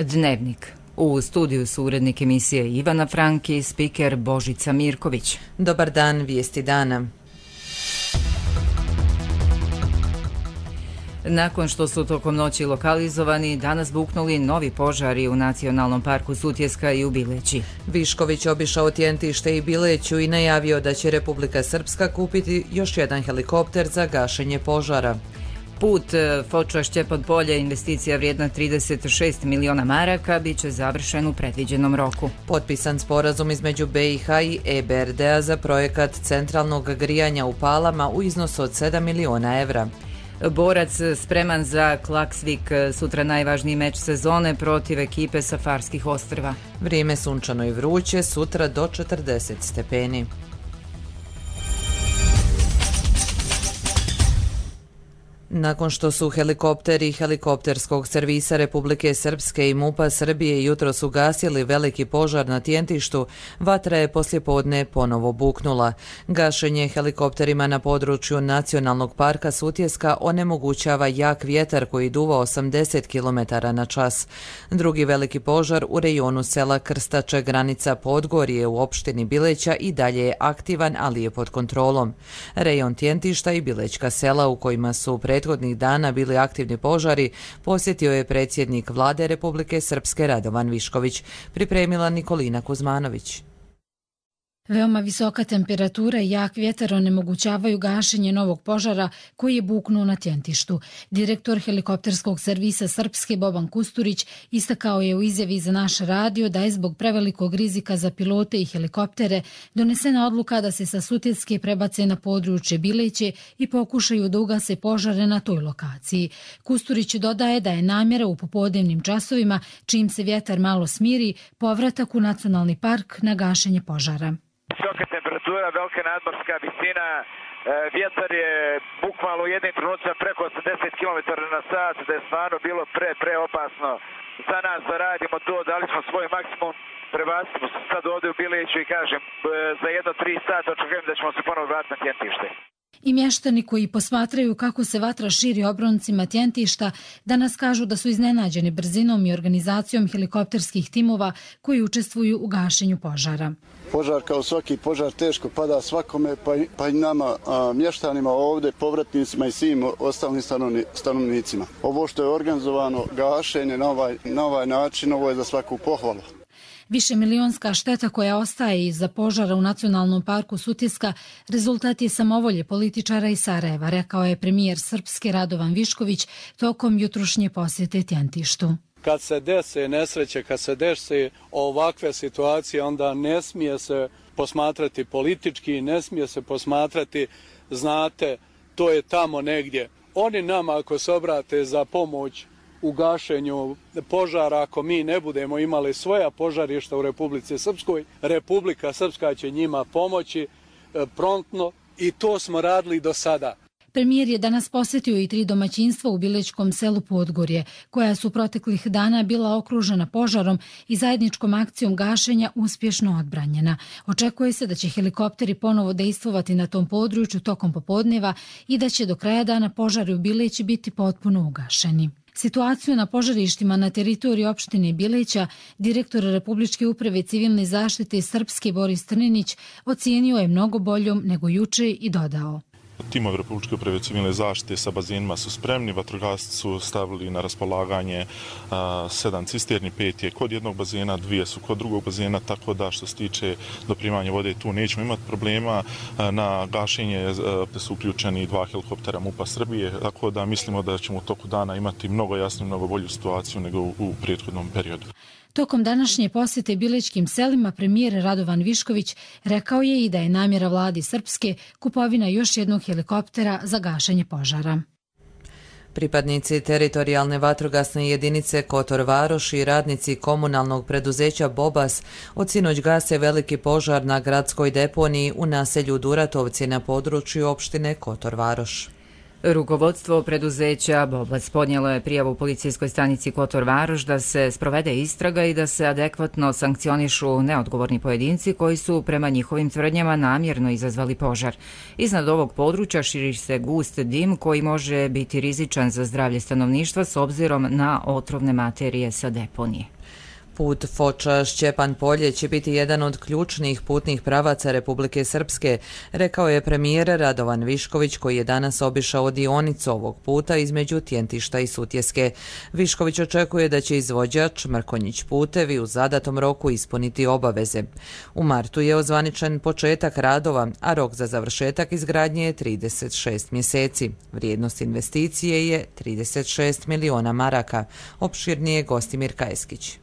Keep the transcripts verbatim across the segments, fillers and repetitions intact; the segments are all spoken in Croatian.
Dnevnik. U studiju su urednik emisije Ivana Frank i spiker Božica Mirković. Dobar dan, vijesti dana. Nakon što su tokom noći lokalizovani, danas buknuli novi požari u Nacionalnom parku Sutjeska i u Bileći. Višković obišao Tjentište i Bileću i najavio da će Republika Srpska kupiti još jedan helikopter za gašenje požara. Put Foča-Šćepon polje, investicija vrijedna trideset šest miliona maraka, bit će završen u predviđenom roku. Potpisan sporazum između be i ha i e be er de-a za projekat centralnog grijanja u Palama u iznosu od sedam miliona evra. Borac spreman za Klaksvik, sutra najvažniji meč sezone protiv ekipe sa Farskih ostrva. Vrijeme sunčano i vruće, sutra do četrdeset stepeni. Nakon što su helikopteri helikopterskog servisa Republike Srpske i MUP-a Srbije jutros ugasili veliki požar na Tjentištu, vatra je poslijepodne ponovo buknula. Gašenje helikopterima na području Nacionalnog parka Sutjeska onemogućava jak vjetar koji duva osamdeset kilometara na čas. Drugi veliki požar u rejonu sela Krstače, granica Podgorje u opštini Bileća, i dalje je aktivan, ali je pod kontrolom. Rejon Tjentišta i Bilećka sela u kojima su prethodnih dana bili aktivni požari posjetio je predsjednik Vlade Republike Srpske Radovan Višković, pripremila Nikolina Kuzmanović. Veoma visoka temperatura i jak vjetar onemogućavaju gašenje novog požara koji je buknuo na Tjentištu. Direktor helikopterskog servisa Srpske Boban Kusturić istakao je u izjavi za naš radio da je zbog prevelikog rizika za pilote i helikoptere donesena odluka da se sa Sutjeske prebace na područje Bileće i pokušaju da ugase požare na toj lokaciji. Kusturić dodaje da je namjera u popodnevnim časovima, čim se vjetar malo smiri, povratak u nacionalni park na gašenje požara. Visoka temperatura, velika nadmorska visina, vjetar je bukvalno u jednim trenucima preko osamdeset kilometara na sat, da je stvarno bilo pre, pre opasno za nas da radimo to, dali smo svoj maksimum, prebacimo se sad ovdje u Bileću i kažem, za jedno tri sata očekujem da ćemo se ponovno vratiti na Tjentište. I mještani koji posmatraju kako se vatra širi obroncima Tjentišta danas kažu da su iznenađeni brzinom i organizacijom helikopterskih timova koji učestvuju u gašenju požara. Požar kao svaki požar teško pada svakome, pa i, pa i nama a, mještanima ovdje, povratnicima i svim ostalim stanovni, stanovnicima. Ovo što je organizovano gašenje na ovaj, na ovaj način, ovo je za svaku pohvalu. Višemilionska šteta koja ostaje iza požara u Nacionalnom parku Sutjeska rezultat je samovolje političara iz Sarajeva, rekao je premijer Srpske Radovan Višković tokom jutrušnje posjete Tjentištu. Kad se dese nesreće, kad se dese ovakve situacije, onda ne smije se posmatrati politički, ne smije se posmatrati, znate, to je tamo negdje. Oni nama ako se obrate za pomoć u gašenju požara, ako mi ne budemo imali svoja požarišta u Republici Srpskoj, Republika Srpska će njima pomoći promptno i to smo radili do sada. Premijer je danas posjetio i tri domaćinstva u Bilećkom selu Podgorje, koja su proteklih dana bila okružena požarom i zajedničkom akcijom gašenja uspješno odbranjena. Očekuje se da će helikopteri ponovo dejstvovati na tom području tokom popodneva i da će do kraja dana požari u Bileći biti potpuno ugašeni. Situaciju na požarištima na teritoriji opštine Bileća direktor Republičke uprave civilne zaštite Srpske Boris Trninić ocijenio je mnogo boljom nego juče i dodao. Timovi Republičke uprave civilne zaštite sa bazenima su spremni, vatrogasci su stavili na raspolaganje a, sedam cisterni, pet je kod jednog bazena, dvije su kod drugog bazena, tako da što se tiče doprimanja vode tu nećemo imati problema. A, na gašenje a, su uključeni dva helikoptera MUP-a Srbije, tako da mislimo da ćemo u toku dana imati mnogo jasniju, mnogo bolju situaciju nego u, u prethodnom periodu. Tokom današnje posjete bilećkim selima premijer Radovan Višković rekao je i da je namjera vladi Srpske kupovina još jednog helikoptera za gašenje požara. Pripadnici teritorijalne vatrogasne jedinice Kotor Varoš i radnici komunalnog preduzeća Bobas od sinoć gase veliki požar na gradskoj deponiji u naselju Duratovci na području opštine Kotor Varoš. Rukovodstvo preduzeća Bobac podnijelo je prijavu policijskoj stanici Kotor Varoš da se sprovede istraga i da se adekvatno sankcionišu neodgovorni pojedinci koji su prema njihovim tvrdnjama namjerno izazvali požar. Iznad ovog područja širi se gust dim koji može biti rizičan za zdravlje stanovništva s obzirom na otrovne materije sa deponije. Put Foča-Šćepan Polje će biti jedan od ključnih putnih pravaca Republike Srpske, rekao je premijer Radovan Višković koji je danas obišao dionicu ovog puta između Tjentišta i Sutjeske. Višković očekuje da će izvođač Mrkonjić putevi u zadatom roku ispuniti obaveze. U martu je ozvaničen početak radova, a rok za završetak izgradnje je trideset šest mjeseci. Vrijednost investicije je trideset šest miliona maraka. Opširnije Gostimir Kajskić.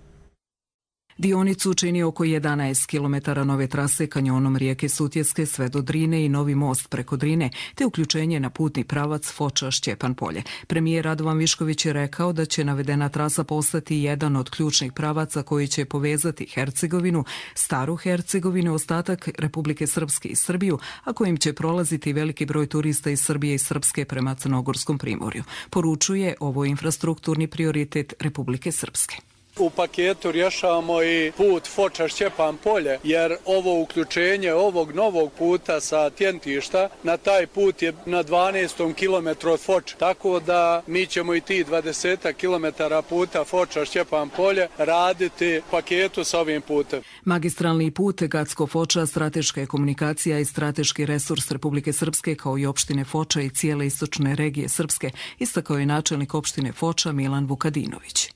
Dionicu čini oko jedanaest kilometara nove trase kanjonom rijeke Sutjeske sve do Drine i novi most preko Drine, te uključenje na putni pravac Foča-Šćepan Polje. Premijer Radovan Višković je rekao da će navedena trasa postati jedan od ključnih pravaca koji će povezati Hercegovinu, Staru Hercegovinu, ostatak Republike Srpske i Srbiju, a kojim će prolaziti veliki broj turista iz Srbije i Srpske prema Crnogorskom primorju. Poručuje ovo infrastrukturni prioritet Republike Srpske. U paketu rješavamo i put Foča-Šćepan Polje, jer ovo uključenje ovog novog puta sa Tjentišta na taj put je na dvanaestom kilometru od Foča. Tako da mi ćemo i ti dvadeset kilometara puta Foča-Šćepan Polje raditi paketu sa ovim putem. Magistralni put Gacko-Foča strateška je komunikacija i strateški resurs Republike Srpske kao i opštine Foča i cijele istočne regije Srpske, istakao je načelnik opštine Foča Milan Vukadinović.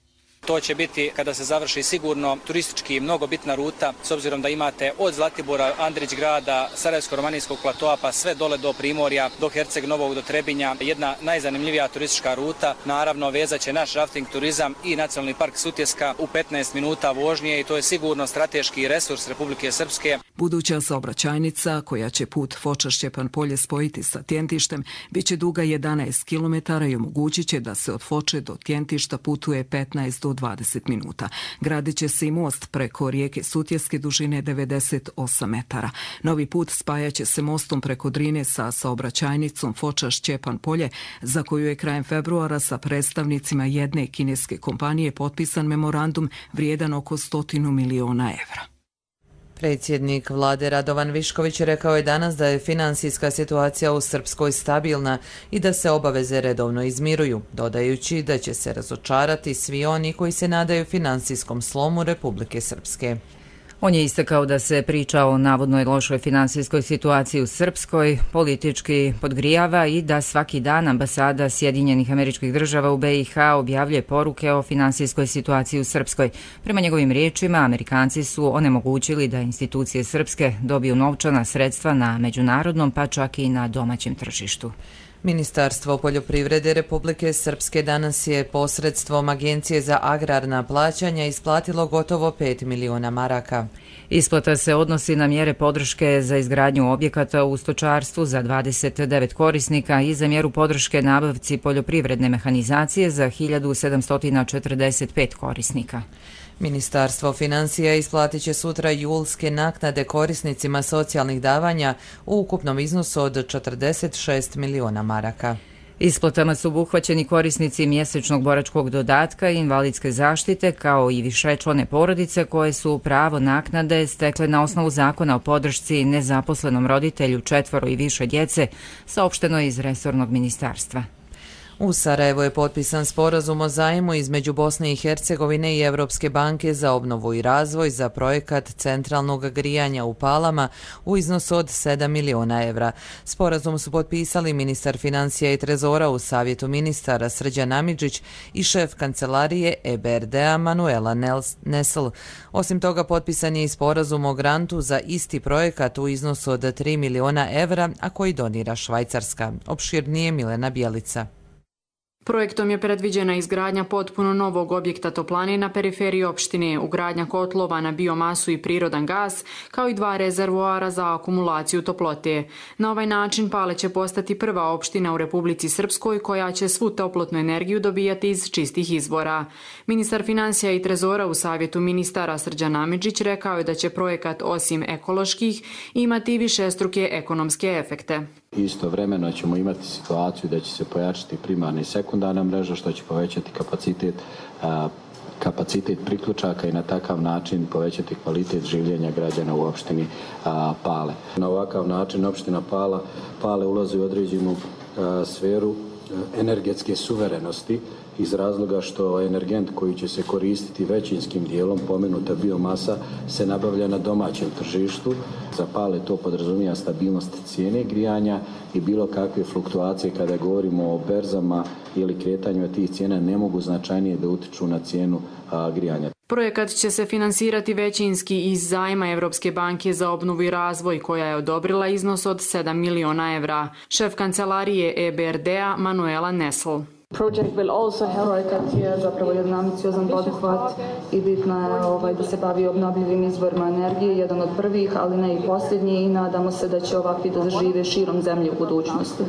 To će biti, kada se završi, sigurno turistički mnogo bitna ruta, s obzirom da imate od Zlatibora, Andrić grada, Sarajevsko-romanijskog platoa, pa sve dole do Primorja, do Herceg Novog, do Trebinja. Jedna najzanimljivija turistička ruta. Naravno, vezat će naš rafting turizam i Nacionalni park Sutjeska u petnaest minuta vožnje i to je sigurno strateški resurs Republike Srpske. Buduća saobraćajnica, koja će put Foča-Šćepan Polje spojiti sa Tjentištem, bit će duga jedanaest kilometara i omogućit će da se od Foče do Tjentišta putuje petnaest do dvadeset minuta. Gradit će se i most preko rijeke Sutjeske dužine devedeset osam metara. Novi put spajaće se mostom preko Drine sa saobraćajnicom Foča-Šćepan Polje, za koju je krajem februara sa predstavnicima jedne kineske kompanije potpisan memorandum vrijedan oko stotinu miliona evra. Predsjednik vlade Radovan Višković rekao je danas da je finansijska situacija u Srpskoj stabilna i da se obaveze redovno izmiruju, dodajući da će se razočarati svi oni koji se nadaju finansijskom slomu Republike Srpske. On je istakao da se priča o navodnoj lošoj finansijskoj situaciji u Srpskoj politički podgrijava i da svaki dan ambasada Sjedinjenih Američkih Država u be i ha objavljuje poruke o finansijskoj situaciji u Srpskoj. Prema njegovim riječima, Amerikanci su onemogućili da institucije Srpske dobiju novčana sredstva na međunarodnom pa čak i na domaćem tržištu. Ministarstvo poljoprivrede Republike Srpske danas je posredstvom Agencije za agrarna plaćanja isplatilo gotovo pet miliona maraka. Isplata se odnosi na mjere podrške za izgradnju objekata u stočarstvu za dvadeset devet korisnika i za mjeru podrške nabavci poljoprivredne mehanizacije za hiljadu sedamsto četrdeset pet korisnika. Ministarstvo financija isplatit će sutra julske naknade korisnicima socijalnih davanja u ukupnom iznosu od četrdeset šest miliona maraka. Isplatama su obuhvaćeni korisnici mjesečnog boračkog dodatka i invalidske zaštite, kao i višečlane porodice koje su pravo naknade stekle na osnovu zakona o podršci nezaposlenom roditelju četvoro i više djece, saopšteno iz resornog ministarstva. U Sarajevu je potpisan sporazum o zajmu između Bosne i Hercegovine i Evropske banke za obnovu i razvoj za projekat centralnog grijanja u Palama u iznosu od sedam miliona evra. Sporazum su potpisali ministar financija i trezora u Savjetu ministara Srđan Amidžić i šef kancelarije e be er de a Manuela Nesl. Osim toga, potpisan je i sporazum o grantu za isti projekat u iznosu od tri miliona evra, a koji donira Švajcarska. Opširnije Milena Bjelica. Projektom je predviđena izgradnja potpuno novog objekta toplane na periferiji opštine, ugradnja kotlova na biomasu i prirodan gas, kao i dva rezervoara za akumulaciju toplote. Na ovaj način Pale će postati prva opština u Republici Srpskoj koja će svu toplotnu energiju dobijati iz čistih izvora. Ministar financija i trezora u Savjetu ministara Srđan Amidžić rekao je da će projekat osim ekoloških imati višestruke ekonomske efekte. Istovremeno ćemo imati situaciju da će se pojačati primarna i sekundarna mreža, što će povećati kapacitet kapacitet priključaka i na takav način povećati kvalitet življenja građana u opštini a, Pale. Na ovakav način opština Pala, Pale ulazi u određenu a, sferu a, energetske suverenosti iz razloga što energent koji će se koristiti većinskim dijelom, pomenuta biomasa, se nabavlja na domaćem tržištu. Za Pale to podrazumijeva stabilnost cijene grijanja i bilo kakve fluktuacije kada govorimo o berzama ili kretanju tih cijena ne mogu značajnije da utiču na cijenu a, grijanja. Projekat će se finansirati većinski iz zajma Evropske banke za obnovu i razvoj koja je odobrila iznos od sedam miliona evra. Šef kancelarije E B R D-a Manuela Nesl. Projekat je zapravo jedan ambiciozan poduhvat i bitno je ovaj, da se bavi obnovljivim izvorima energije, jedan od prvih, ali ne i posljednji, i nadamo se da će ovakvi da zažive širom zemlje u budućnosti.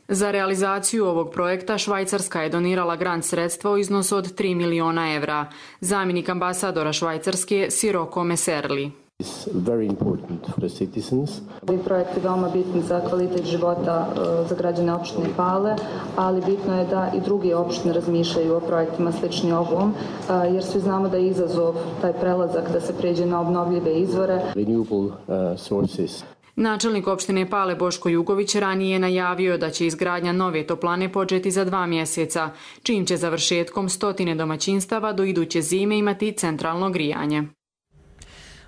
Za realizaciju ovog projekta Švajcarska je donirala grant sredstva u iznosu od tri miliona evra. Zamjenik ambasadora Švajcarske Siroko Meserli. Ovaj projekt je veoma bitan za kvalitet života za građane opštine Pale, ali bitno je da i druge opštine razmišljaju o projektima slični ovom, jer svi znamo da je izazov taj prelazak da se pređe na obnovljive izvore. Načelnik opštine Pale Boško Jugović ranije je najavio da će izgradnja nove toplane početi za dva mjeseca, čim će završetkom stotine domaćinstava do iduće zime imati centralno grijanje.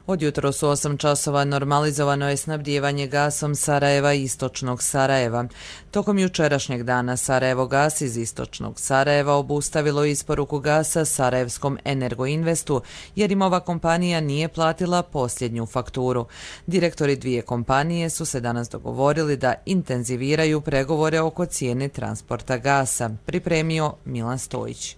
Od jutros u osam časova normalizovano je snabdijevanje gasom Sarajeva i istočnog Sarajeva. Tokom jučerašnjeg dana Sarajevo gas iz istočnog Sarajeva obustavilo isporuku gasa Sarajevskom Energoinvestu jer im ova kompanija nije platila posljednju fakturu. Direktori dvije kompanije su se danas dogovorili da intenziviraju pregovore oko cijene transporta gasa, pripremio Milan Stojić.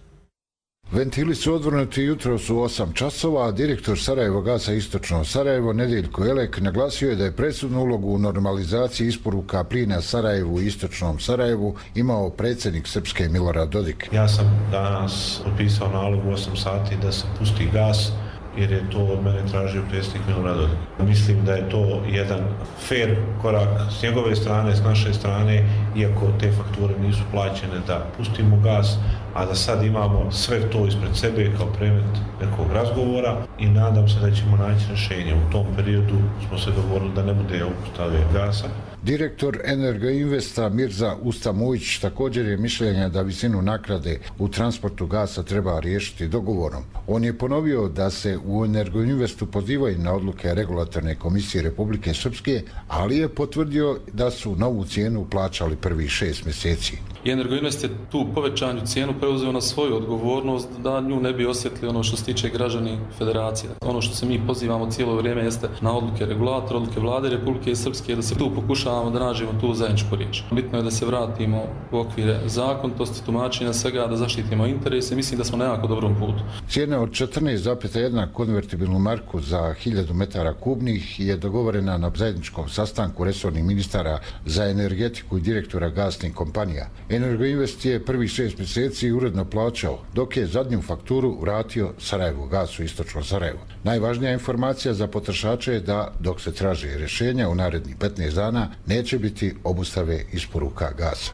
Ventili su odvrnuti jutros u osam časova, a direktor Sarajevo gasa istočno Sarajevo Nedeljko Elek naglasio je da je presudnu ulogu u normalizaciji isporuka plina Sarajevu i istočnom Sarajevu imao predsjednik Srpske Milorad Dodik. Ja sam danas potpisao nalog u osam sati da se pusti gas, jer je to od mene tražio predsjednik Milorad Dodik. Mislim da je to jedan fair korak s njegove strane, s naše strane, iako te fakture nisu plaćene, da pustimo gas, a da sad imamo sve to ispred sebe kao predmet nekog razgovora i nadam se da ćemo naći rješenje. U tom periodu smo se dogovorili da ne bude obustave gasa. Direktor Energoinvesta Mirza Ustamujić također je mišljenja da visinu naknade u transportu gasa treba riješiti dogovorom. On je ponovio da se u Energoinvestu pozivaju na odluke Regulatorne komisije Republike Srpske, ali je potvrdio da su novu cijenu plaćali prvih šest mjeseci. Energoinvest je tu povećanju cijenu preuzeo na svoju odgovornost da nju ne bi osjetili ono što se tiče građani federacije. Ono što se mi pozivamo cijelo vrijeme jeste na odluke regulatora, odluke vlade Republike Srpske, da se tu pokušavamo da nađemo tu zajedničku riječ. Bitno je da se vratimo u okvire zakonitosti, tumačenja svega, da zaštitimo interese. Mislim da smo na jako dobrom putu. Cijena od četrnaest zarez jedan konvertibilnu marku za hiljadu metara kubnih je dogovorena na zajedničkom sastanku resornih ministara za energetiku i direktora gasnih kompanija. Energoinvest je prvih šest mjeseci uredno plaćao, dok je zadnju fakturu vratio Sarajevo gasu istočno Sarajevo. Najvažnija informacija za potrošače je da, dok se traže rješenja u narednih petnaest dana, neće biti obustave isporuka gasa.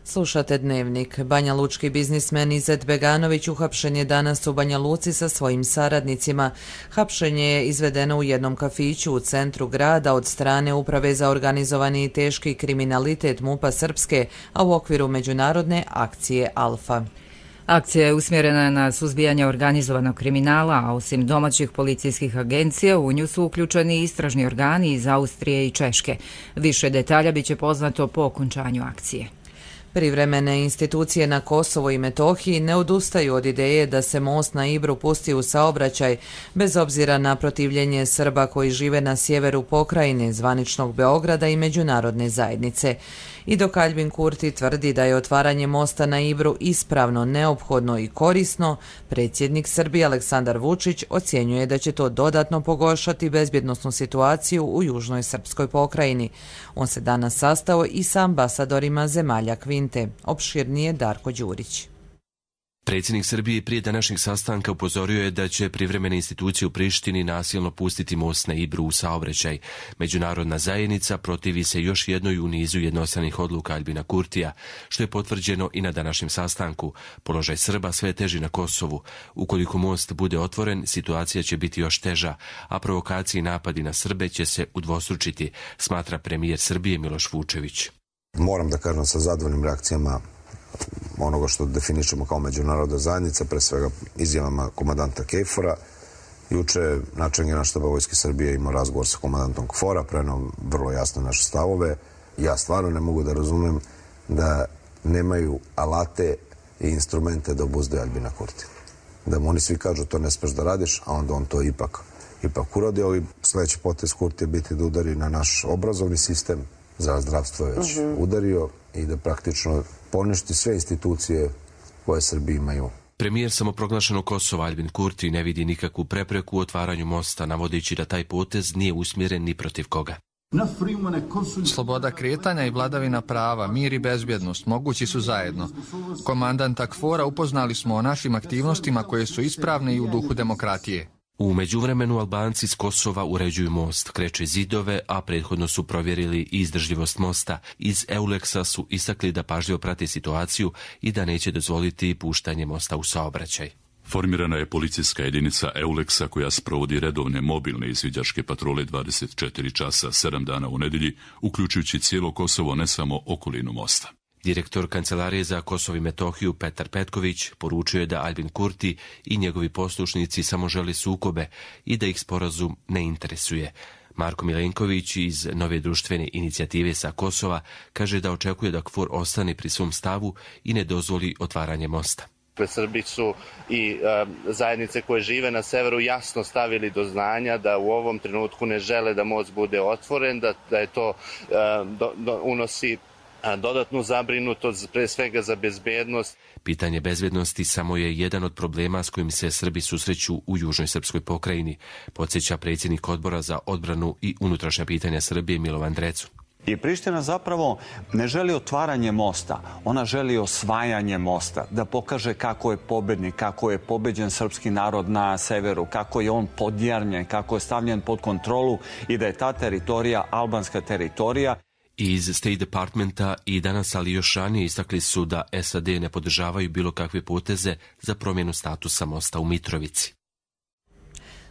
Slušate Dnevnik. Banja Lučki biznismen Izet Beganović uhapšen je danas u Banja Luci sa svojim saradnicima. Hapšenje je izvedeno u jednom kafiću u centru grada od strane Uprave za organizovani i teški kriminalitet MUP-a Srpske, a u okviru međunarodne akcije Alfa. Akcija je usmjerena na suzbijanje organizovanog kriminala, a osim domaćih policijskih agencija u nju su uključeni istražni organi iz Austrije i Češke. Više detalja biće poznato po okončanju akcije. Privremene institucije na Kosovo i Metohiji ne odustaju od ideje da se most na Ibru pusti u saobraćaj, bez obzira na protivljenje Srba koji žive na sjeveru pokrajine, zvaničnog Beograda i međunarodne zajednice. I dok Albin Kurti tvrdi da je otvaranje mosta na Ibru ispravno, neophodno i korisno, predsjednik Srbije Aleksandar Vučić ocjenjuje da će to dodatno pogoršati bezbjednosnu situaciju u južnoj srpskoj pokrajini. On se danas sastao i sa ambasadorima zemalja Kvinte. Opširnije Darko Đurić. Predsjednik Srbije prije današnjeg sastanka upozorio je da će privremene institucije u Prištini nasilno pustiti most na Ibru u saobraćaj. Međunarodna zajednica protivi se još jednoj u nizu jednostranih odluka Aljbina Kurtija, što je potvrđeno i na današnjem sastanku. Položaj Srba sve je teži na Kosovu. Ukoliko most bude otvoren, situacija će biti još teža, a provokacije i napadi na Srbe će se udvostručiti, smatra premijer Srbije Miloš Vučević. Moram da kažem sa zadovoljnim reakcijama onoga što definišemo kao međunarodna zajednica, pre svega izjavama komandanta Kejfora. Juče načelnik Generalštaba Vojske Srbije imao razgovor sa komandantom Kfora, preneo vrlo jasno naše stavove. Ja stvarno ne mogu da razumem da nemaju alate i instrumente da obuzdaju Aljbina Kurtija. Da mu oni svi kažu to ne smeš da radiš, a onda on to ipak, ipak uradi. Ovi sledeći potez Kurtija biti da udari na naš obrazovni sistem, za zdravstvo je već uh-huh. udario i da praktično poništi sve institucije koje Srbi imaju. Premijer samoproglašenog Kosova Aljbin Kurti ne vidi nikakvu prepreku u otvaranju mosta, navodeći da taj potez nije usmjeren ni protiv koga. Sloboda kretanja i vladavina prava, mir i bezbjednost mogući su zajedno. Komandanta Kfora upoznali smo o našim aktivnostima koje su ispravne i u duhu demokratije. U međuvremenu Albanci s Kosova uređuju most, kreče zidove, a prethodno su provjerili i izdržljivost mosta. Iz Euleksa su istakli da pažljivo prate situaciju i da neće dozvoliti puštanje mosta u saobraćaj. Formirana je policijska jedinica Euleksa koja sprovodi redovne mobilne izviđačke patrole dvadeset četiri časa, sedam dana u nedelji, uključujući cijelo Kosovo, ne samo okolinu mosta. Direktor Kancelarije za Kosovo i Metohiju Petar Petković poručio je da Aljbin Kurti i njegovi poslušnici samo žele sukobe i da ih sporazum ne interesuje. Marko Milenković iz Nove društvene inicijative sa Kosova kaže da očekuje da Kfor ostane pri svom stavu i ne dozvoli otvaranje mosta. Srbi su i e, zajednice koje žive na severu jasno stavili do znanja da u ovom trenutku ne žele da most bude otvoren, da, da je to e, do, do, unosi dodatnu zabrinutost, pre svega za bezbednost. Pitanje bezbednosti samo je jedan od problema s kojim se Srbi susreću u južnoj srpskoj pokrajini, podsjeća predsjednik Odbora za odbranu i unutrašnja pitanja Srbije Milovan Drecu. I Priština zapravo ne želi otvaranje mosta, ona želi osvajanje mosta, da pokaže kako je pobednik, kako je pobeđen srpski narod na severu, kako je on podjarnjen, kako je stavljen pod kontrolu i da je ta teritorija albanska teritorija. Iz State Departmenta i danas, ali još ranije, istakli su da S A D ne podržavaju bilo kakve poteze za promjenu statusa mosta u Mitrovici.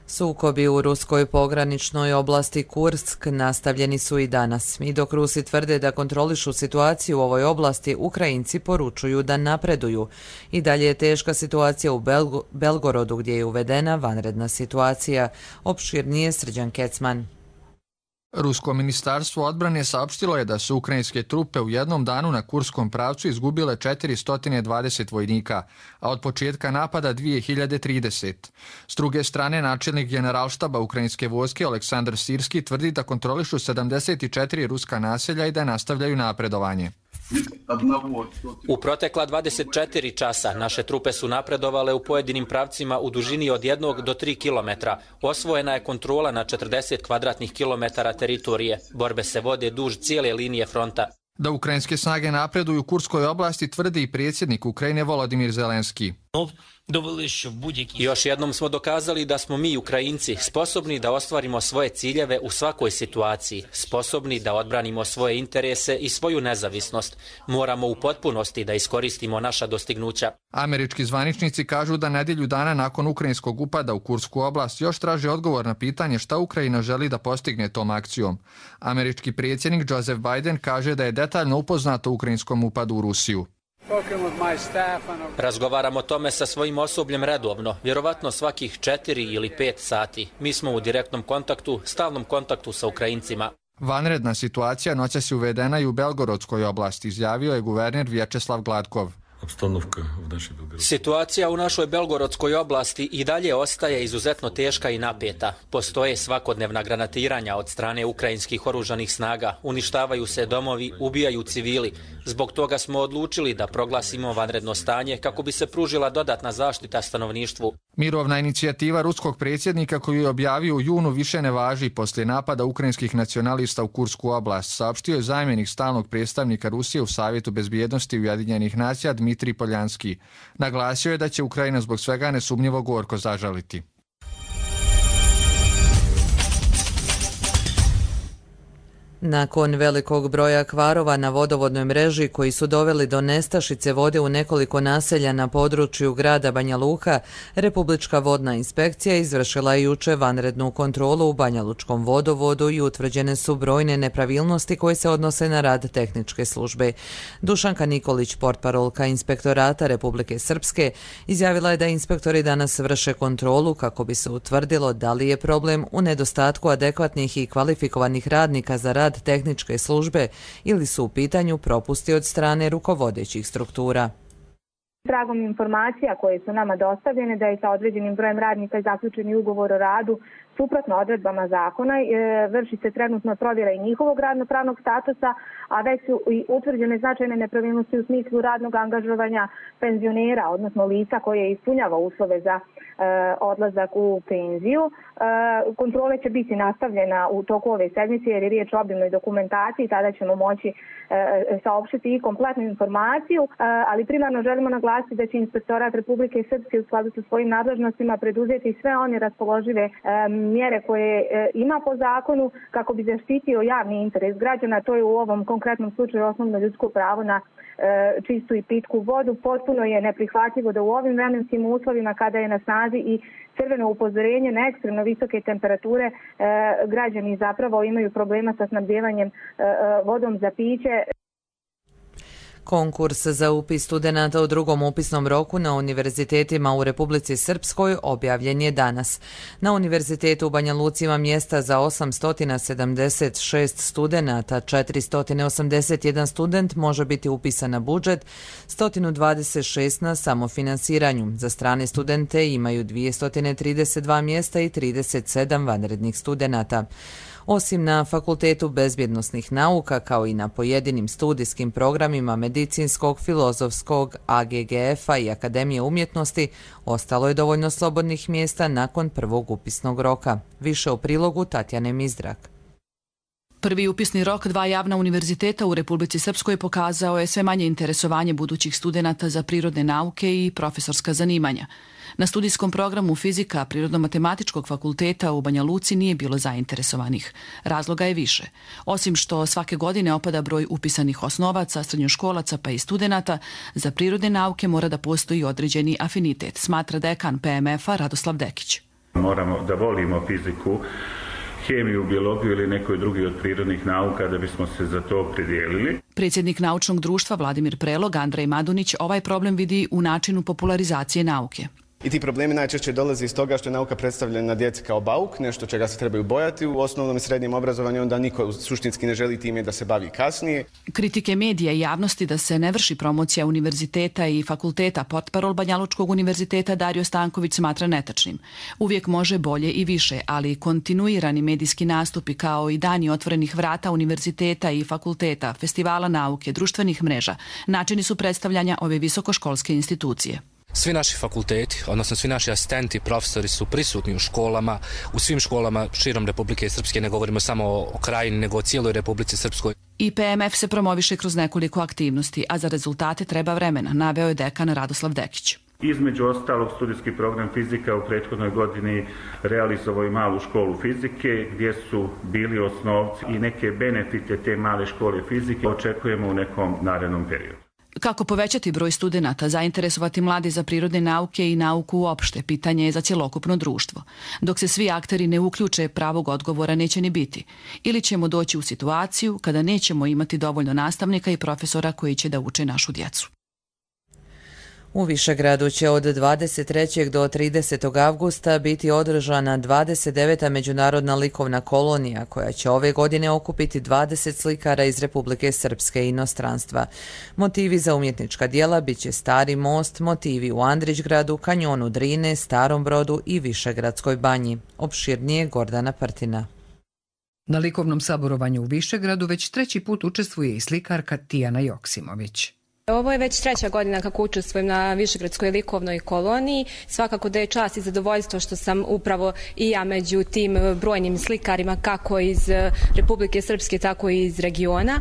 Sukobi u ruskoj pograničnoj oblasti Kursk nastavljeni su i danas. I dok Rusi tvrde da kontrolišu situaciju u ovoj oblasti, Ukrajinci poručuju da napreduju. I dalje je teška situacija u Belgo- Belgorodu gdje je uvedena vanredna situacija. Opširnije Srđan Kecman. Rusko ministarstvo odbrane saopštilo je da su ukrajinske trupe u jednom danu na kurskom pravcu izgubile četiristo dvadeset vojnika, a od početka napada dvije hiljade trideset. S druge strane, načelnik Generalštaba ukrajinske vojske Aleksandar Sirski tvrdi da kontrolišu sedamdeset četiri ruska naselja i da nastavljaju napredovanje. U protekla dvadeset četiri časa naše trupe su napredovale u pojedinim pravcima u dužini od jednog do tri kilometra. Osvojena je kontrola na četrdeset kvadratnih kilometara teritorije. Borbe se vode duž cijele linije fronta. Da ukrajinske snage napreduju u Kurskoj oblasti tvrdi i predsjednik Ukrajine Volodimir Zelenski. Još jednom smo dokazali da smo mi, Ukrajinci, sposobni da ostvarimo svoje ciljeve u svakoj situaciji, sposobni da odbranimo svoje interese i svoju nezavisnost. Moramo u potpunosti da iskoristimo naša dostignuća. Američki zvaničnici kažu da nedjelju dana nakon ukrajinskog upada u Kursku oblast još traže odgovor na pitanje šta Ukrajina želi da postigne tom akcijom. Američki predsjednik Joseph Biden kaže da je detaljno upoznato o ukrajinskom upadu u Rusiju. Razgovaram o tome sa svojim osobljem redovno, vjerovatno svakih četiri ili pet sati. Mi smo u direktnom kontaktu, stalnom kontaktu sa Ukrajincima. Vanredna situacija noćas je uvedena i u Belgorodskoj oblasti, izjavio je guverner Vječeslav Gladkov. Situacija u našoj Belgorodskoj oblasti i dalje ostaje izuzetno teška i napeta. Postoje svakodnevna granatiranja od strane ukrajinskih oružanih snaga, uništavaju se domovi, ubijaju civili. Zbog toga smo odlučili da proglasimo vanredno stanje kako bi se pružila dodatna zaštita stanovništvu. Mirovna inicijativa ruskog predsjednika koju je objavio u junu više ne važi poslije napada ukrajinskih nacionalista u Kursku oblast, saopštio je zamjenik stalnog predstavnika Rusije u Savjetu bezbjednosti Ujedinjenih nacija Dmitrij Dimitrij Poljanski. Naglasio je da će Ukrajina zbog svega nesumnjivo gorko zažaliti. Nakon velikog broja kvarova na vodovodnoj mreži koji su doveli do nestašice vode u nekoliko naselja na području grada Banja Luka, Republička vodna inspekcija izvršila je juče vanrednu kontrolu u Banja Lučkom vodovodu i utvrđene su brojne nepravilnosti koje se odnose na rad tehničke službe. Dušanka Nikolić, portparolka Inspektorata Republike Srpske, izjavila je da inspektori danas vrše kontrolu kako bi se utvrdilo da li je problem u nedostatku adekvatnih i kvalifikovanih radnika za rad tehničke službe ili su u pitanju propusti od strane rukovodećih struktura. Tragom informacija koje su nama dostavljene da je sa određenim brojem radnika zaključeni ugovor o radu suprotno odredbama zakona, vrši se trenutno provjera i njihovog radno-pravnog statusa, a već su i utvrđene značajne nepravilnosti u smislu radnog angažovanja penzionera, odnosno lica koje ispunjava uslove za odlazak u penziju. Kontrole će biti nastavljena u toku ove sedmice jer je riječ o obimnoj dokumentaciji, tada ćemo moći saopštiti i kompletnu informaciju, ali primarno želimo naglasiti da će Inspektorat Republike Srpske u skladu sa svojim nadležnostima preduzeti sve one raspoložive mjere koje ima po zakonu kako bi zaštitio javni interes građana. To je u ovom konkretnom slučaju osnovno ljudsko pravo na čistu i pitku vodu. Potpuno je neprihvatljivo da u ovim vremenskim uslovima kada je na snazi i crveno upozorenje na ekstremno visoke temperature građani zapravo imaju problema sa snabdevanjem vodom za piće. Konkurs za upis studenata u drugom upisnom roku na univerzitetima u Republici Srpskoj objavljen je danas. Na univerzitetu u Banja Luci ima mjesta za osamsto sedamdeset šest studenata, četiristo osamdeset jedan student može biti upisan na budžet, sto dvadeset šest na samofinansiranju. Za strane studente imaju dvjesto trideset dva mjesta i trideset sedam vanrednih studenata. Osim na Fakultetu bezbjednosnih nauka, kao i na pojedinim studijskim programima medicinskog, filozofskog, A G G F-a i Akademije umjetnosti, ostalo je dovoljno slobodnih mjesta nakon prvog upisnog roka. Više o prilogu Tatjane Mizdrak. Prvi upisni rok dva javna univerziteta u Republici Srpskoj pokazao je sve manje interesovanje budućih studenata za prirodne nauke i profesorska zanimanja. Na studijskom programu fizika Prirodno-matematičkog fakulteta u Banja Luci nije bilo zainteresovanih. Razloga je više. Osim što svake godine opada broj upisanih osnovaca, srednjoškolaca pa i studenata, za prirodne nauke mora da postoji određeni afinitet, smatra dekan P M F-a Radoslav Dekić. Moramo da volimo fiziku, hemiju, biologiju ili nekoj drugi od prirodnih nauka da bismo se za to opredijelili. Predsjednik naučnog društva Vladimir Prelog, Andrej Madunić, ovaj problem vidi u načinu popularizacije nauke. I ti problemi najčešće dolaze iz toga što je nauka predstavljena djeci kao bauk, nešto čega se trebaju bojati u osnovnom i srednjem obrazovanju, onda niko suštinski ne želi time da se bavi kasnije. Kritike medija i javnosti da se ne vrši promocija univerziteta i fakulteta, portparol Banja Lučkog univerziteta Dario Stanković smatra netačnim. Uvijek može bolje i više, ali kontinuirani medijski nastupi kao i dani otvorenih vrata univerziteta i fakulteta, festivala nauke, društvenih mreža, načini su predstavljanja ove visokoškolske institucije. Svi naši fakulteti, odnosno svi naši asistenti, profesori su prisutni u školama, u svim školama širom Republike Srpske, ne govorimo samo o krajini, nego o cijeloj Republici Srpskoj. I P M F se promoviše kroz nekoliko aktivnosti, a za rezultate treba vremena, naveo je dekan Radoslav Dekić. Između ostalog, studijski program fizika u prethodnoj godini realizovao i malu školu fizike, gdje su bili osnovci i neke benefite te male škole fizike očekujemo u nekom narednom periodu. Kako povećati broj studenata, zainteresovati mladi za prirodne nauke i nauku uopšte, pitanje je za cjelokupno društvo. Dok se svi akteri ne uključe, pravog odgovora neće ni biti. Ili ćemo doći u situaciju kada nećemo imati dovoljno nastavnika i profesora koji će da uče našu djecu. U Višegradu će od dvadeset trećeg do tridesetog avgusta biti održana dvadeset deveta međunarodna likovna kolonija koja će ove godine okupiti dvadeset slikara iz Republike Srpske i inostranstva. Motivi za umjetnička djela biće Stari most, motivi u Andrićgradu, kanjonu Drine, Starom Brodu i Višegradskoj banji. Opširnije Gordana Prtina. Na likovnom saborovanju u Višegradu već treći put učestvuje i slikarka Tijana Joksimović. Ovo je već treća godina kako učestvujem na Višegradskoj likovnoj koloniji. Svakako da je čast i zadovoljstvo što sam upravo i ja među tim brojnim slikarima kako iz Republike Srpske, tako i iz regiona.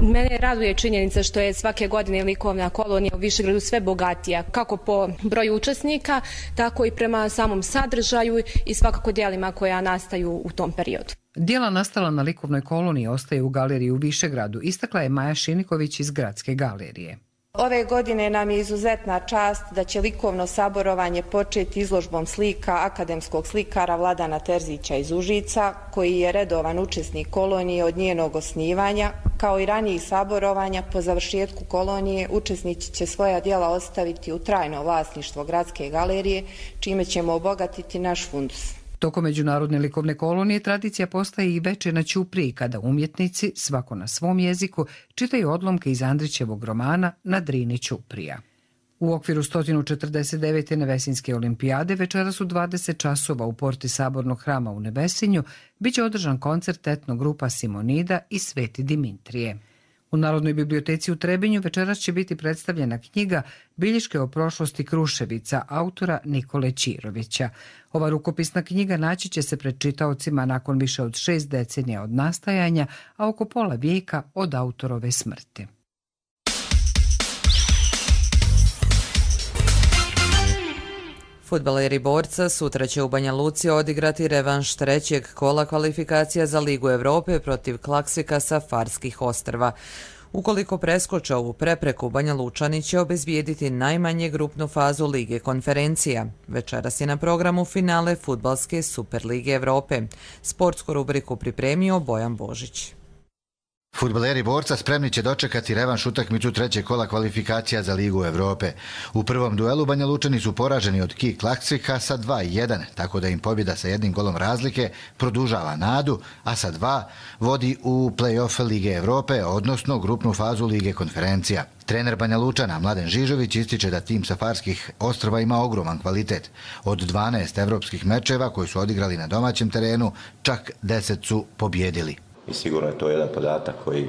Mene raduje činjenica što je svake godine likovna kolonija u Višegradu sve bogatija, kako po broju učesnika, tako i prema samom sadržaju i svakako djelima koja nastaju u tom periodu. Djela nastala na likovnoj koloniji ostaju u galeriji u Višegradu, istakla je Maja Šiniković iz Gradske galerije. Ove godine nam je izuzetna čast da će likovno saborovanje početi izložbom slika akademskog slikara Vladana Terzića iz Užica, koji je redovan učesnik kolonije od njenog osnivanja. Kao i ranijih saborovanja, po završetku kolonije učesnici će svoja djela ostaviti u trajno vlasništvo Gradske galerije, čime ćemo obogatiti naš fundus. Tokom međunarodne likovne kolonije tradicija postaje i veče na Ćupriji, kada umjetnici, svako na svom jeziku, čitaju odlomke iz Andrićevog romana Na Drini Ćuprija. U okviru sto četrdeset devete Nevesinske olimpijade večeras u dvadeset časova u porti Sabornog hrama u Nevesinju biće održan koncert etno grupa Simonida i Sveti Dimitrije. U Narodnoj biblioteci u Trebinju večeras će biti predstavljena knjiga Bilješke o prošlosti Kruševica autora Nikole Ćirovića. Ova rukopisna knjiga naći će se pred čitaocima nakon više od šest decenija od nastajanja, a oko pola vijeka od autorove smrti. Fudbaleri Borca sutra će u Banja Luci odigrati revanš trećeg kola kvalifikacija za Ligu Evrope protiv Klaksvika sa Farskih ostrva. Ukoliko preskoče ovu prepreku, Banja Lučani će obezbijediti najmanje grupnu fazu Lige konferencija. Večeras je na programu finale Fudbalske Super Lige Evrope. Sportsku rubriku pripremio Bojan Božić. Fudbaleri Borca spremni će dočekati revanš utakmicu trećeg kola kvalifikacija za Ligu Evrope. U prvom duelu Banja Lučani su poraženi od K I Klaksvika sa dva jedan, tako da im pobjeda sa jednim golom razlike produžava nadu, a sa dva vodi u play-off Lige Evrope, odnosno grupnu fazu Lige konferencija. Trener Banja Lučana, Mladen Žižović, ističe da tim sa Farskih ostrva ima ogroman kvalitet. Od dvanaest evropskih mečeva koji su odigrali na domaćem terenu, čak deset su pobjedili. I sigurno je to jedan podatak koji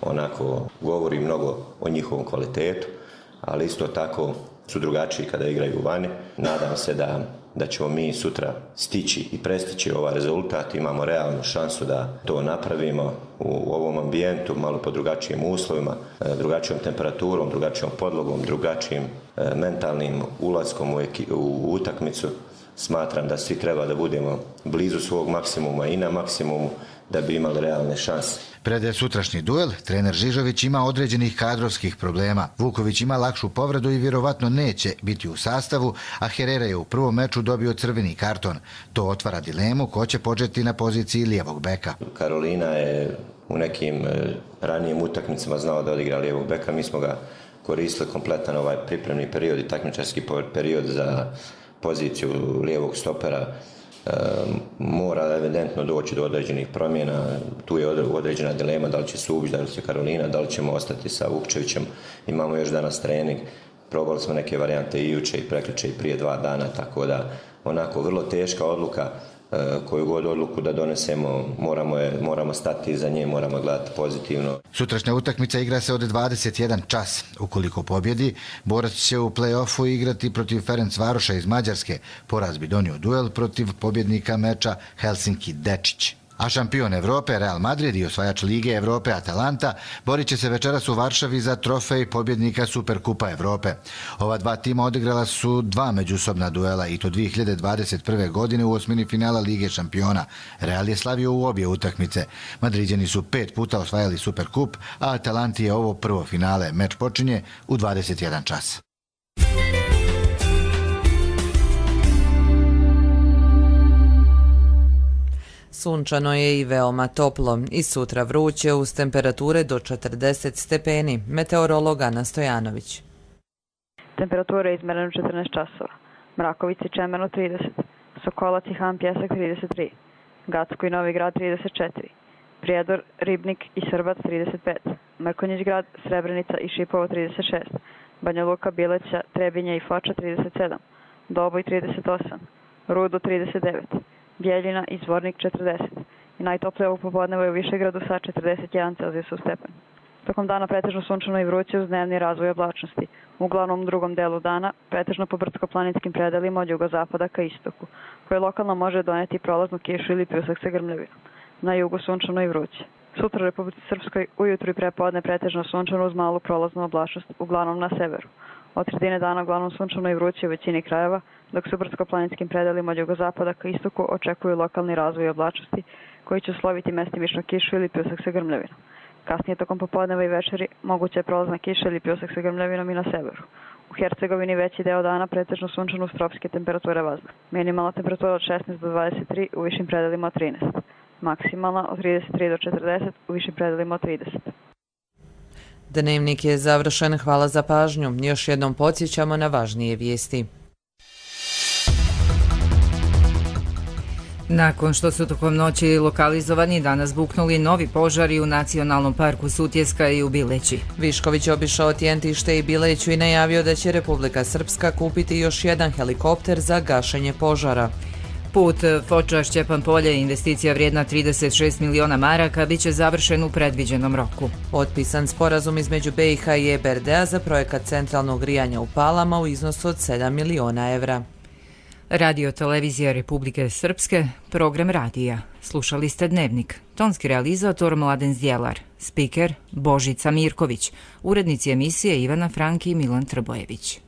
onako govori mnogo o njihovom kvalitetu, ali isto tako su drugačiji kada igraju vani. Nadam se da, da ćemo mi sutra stići i prestići ovaj rezultat. Imamo realnu šansu da to napravimo u ovom ambijentu, malo po drugačijim uslovima, drugačijom temperaturom, drugačijom podlogom, drugačijim mentalnim ulaskom u, eki, u utakmicu. Smatram da svi treba da budemo blizu svog maksimuma i na maksimumu da bi imali realne šanse. Pred sutrašnji duel, trener Žižović ima određenih kadrovskih problema. Vuković ima lakšu povredu i vjerovatno neće biti u sastavu, a Herrera je u prvom meču dobio crveni karton. To otvara dilemu ko će početi na poziciji lijevog beka. Karolina je u nekim ranijim utakmicama znao da odigra lijevog beka. Mi smo ga koristili kompletan ovaj pripremni period i takmičarski period za poziciju lijevog stopera. E, mora evidentno doći do određenih promjena, tu je određena dilema da li će Subić, da li će Karolina, da li ćemo ostati sa Vukčevićem. Imamo još danas trening, probali smo neke varijante i juče i prekjuče i prije dva dana, tako da onako vrlo teška odluka. Koju god odluku da donesemo, moramo, je, moramo stati iza nje, moramo gledati pozitivno. Sutrašnja utakmica igra se od dvadeset jedan čas. Ukoliko pobjedi, Borac će u play-offu igrati protiv Ferencvaroša iz Mađarske. Poraz bi donio duel protiv pobjednika meča Helsinki-Dečić. A šampion Evrope, Real Madrid i osvajač Lige Evrope Atalanta borit će se večeras u Varšavi za trofej pobjednika Superkupa Evrope. Ova dva tima odigrala su dva međusobna duela i to dvije hiljade dvadeset prve. godine u osmini finala Lige šampiona. Real je slavio u obje utakmice. Madriđani su pet puta osvajali Superkup, a Atalanti je ovo prvo finale. Meč počinje u dvadeset jedan čas. Sunčano je i veoma toplo i sutra vruće uz temperature do četrdeset stepeni. Meteorolog Ana Stojanović. Temperatura je izmerena u četrnaest časova. Mrakovica i Čemerno trideset, Sokolac i Han Pjesak trideset tri, Gacko i Novi Grad trideset četiri, Prijedor, Ribnik i Srbac trideset pet, Mrkonjić Grad, Srebrenica i Šipovo trideset šest, Banja Luka, Bileća, Trebinje i Foča trideset sedam, Doboj trideset osam, Rudo trideset devet, Bjeljina i Zvornik četrdeset i najtoplije ovog popodneva je u Višegradu sa četrdeset jedan Celzijusov stepen. Tokom dana pretežno sunčano i vruće uz dnevni razvoj oblačnosti. U glavnom drugom delu dana pretežno po brdsko-planinskim predelima od jugozapada ka istoku, koje lokalno može doneti prolaznu kišu ili pljusak sa grmljavinom. Na jugu sunčano i vruće. Sutra u Republici Srpskoj ujutru i prepodne pretežno sunčano uz malu prolaznu oblačnost, uglavnom na severu. Od sredine dana uglavnom sunčano i vruće u većini krajeva, dok se u brdsko-planinskim predelima od jugozapada ka istoku očekuju lokalni razvoj oblačnosti koji će usloviti mestimično kišu ili pljusak sa grmljavinom. Kasnije tokom popodneva i večeri moguća je prolazna kiša ili pljusak sa grmljavinom i na severu. U Hercegovini veći deo dana pretežno sunčano uz tropske temperature vazduha. Minimalna temperatura od šesnaest do dvadeset tri, u višim predelima od trinaest. Maksimalna od trideset tri do četrdeset, u višim predelima od trideset. Dnevnik je završen, hvala za pažnju. Još jednom podsjećamo na važnije vijesti. Nakon što su tokom noći lokalizovani, danas buknuli novi požari u Nacionalnom parku Sutjeska i u Bileći. Višković obišao Tjentište i Bileću i najavio da će Republika Srpska kupiti još jedan helikopter za gašenje požara. Put Foča-Šćepan polje, investicija vrijedna trideset šest miliona maraka, bit će završen u predviđenom roku. Potpisan sporazum između B i H i E B R D-a za projekat centralnog grijanja u Palama u iznosu od sedam miliona evra. Radio Televizija Republike Srpske, program radija. Slušali ste Dnevnik. Tonski realizator Mladen Zdjelar, spiker Božica Mirković, urednici emisije Ivana Franki i Milan Trbojević.